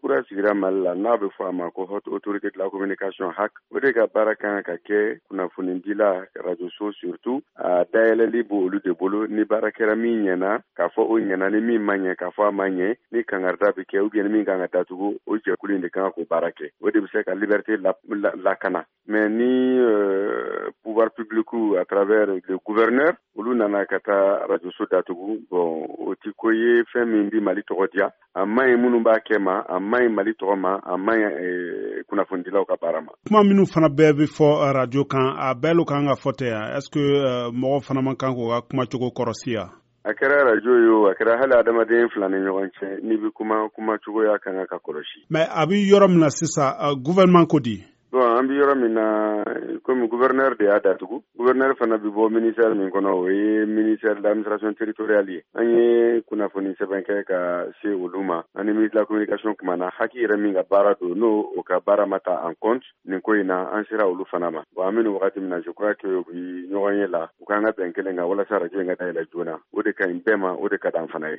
kura sigira Mali la, n'a bɛ fɔ a ma ko Haute Autorité de la Communication, HAC. O de ka baara kan ka kɛ kunnafonidila, rajoso surtout, a dayɛlɛli b'olu de bolo. Ni baara kɛra min ɲɛna, k'a fɔ o ɲɛna, ni min ma ɲɛ, k'a fɔ a ma ɲɛ, ni kangarida bɛ kɛ ou bien ni min kan ka datugu, o jɛkulu in de kan k'o baara kɛ. O de bɛ se ka liberté lakana. Mais ni pouvoir public, à travers le gouverneur, olu nana ka taa rajoso datugu, bon, o ti ko ye fɛn min bi Mali tɔgɔ diya. A man ɲi minnu b'a kɛ ma, a man ɲi Mali tɔgɔ ma, a man ɲi kunnafonidilaw ka baara ma. Kuma minnu fana bɛɛ bɛ fɔ radio kan, a bɛɛ lo kan ka fɔ tɛ yan. Est ce que mɔgɔ fana man kan k'o ka kumacogo kɔrɔsi yan? A kɛra radio ye o, a kɛra hali adamaden fila ni ɲɔgɔn cɛ, n'i bɛ kuma, kuma cogoya kan ka kɔlɔsi. Mais a bɛ yɔrɔ min na sisan, gouvernement ko di? Bon, an bɛ yɔrɔ min na, komi gouverneur de y'a datugu, gouverneur fana bɛ bɔ ministère min kɔnɔ, o ye ministère de l'Administration territoriale ye. An ye kunnafoni sɛbɛn kɛ ka se olu ma. Ani ministre de la Communication kumana. HAC yɛrɛ min ka baara don, n'o o ka baara ma ta en compte nin ko in na, an sera olu fana ma. Bon, an bɛ nin wagati min na, je crois que u bi ɲɔgɔn ye la, u k'an ka bɛn kelen kan walasa radio in ka dayɛlɛ joona. O de ka ɲi bɛɛ ma, o de ka d'an fana ye.